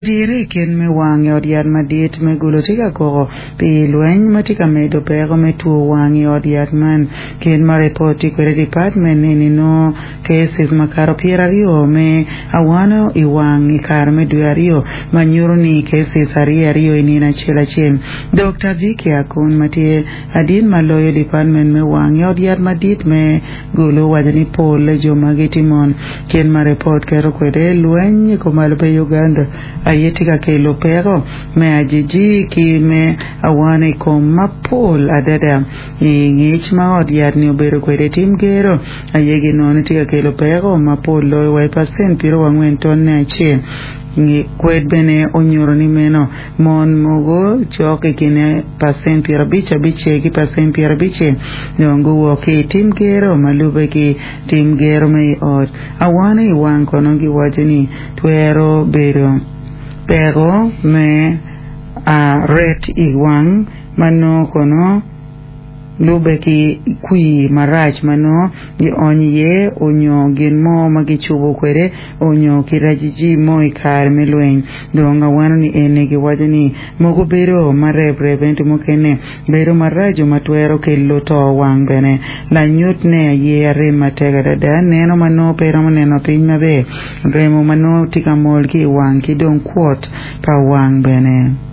Dire i kin me wang i ot yat madit me Gulu tye ka koko pi lweny ma tye ka medo peko me two wang i ot yat man. Kit ma ripot tye kwede department eni nongo cases makato pyeraryo me awano i wang i kare me dwe aryo ma nyuto ni cases aryo aryo i nino acel acel. Dokta Vicky Akun ma tye ladit ma loyo department me wang i ot yat madit me Gulu owaco ni pol jo magi tye mon. Kit ma ripot keto kwede, lweny i kumalo pa Uganda aye tye ka kelo peko me ajiji ki me awana i kom mapol adada. I ngec ma ot yat-ni obedo kwede, tim gero aye ginongo ni tye ka kelo peko mapol loyo wa i pacent pyerangwen tonne acel. Kwed bene onyuto ni meno mon mogo cok i kine pacent pyerabic abicel ki pacent pyerabicel dong guwok ki i tim gero ma lubbe ki tim gero me i ot. Awana i wang kono giwaco ni twero bedo peko me ret i wang ma nongo kono lubbe ki kwir marac ma nongo gionyo iye onyo gin mo ma gicubo kwede onyo ki rajiji mo i kare me lweny. Dong awano ni eni giwaco ni mogo bedo ma reprep ento mukene bedo maraco ma twero kelo to wang bene. Lanyut ne aye arem matek adada, neno ma nongo pe iromo neno piny maber, remo ma nongo tye ka mol ki i wang ki dong kwot pa wang bene.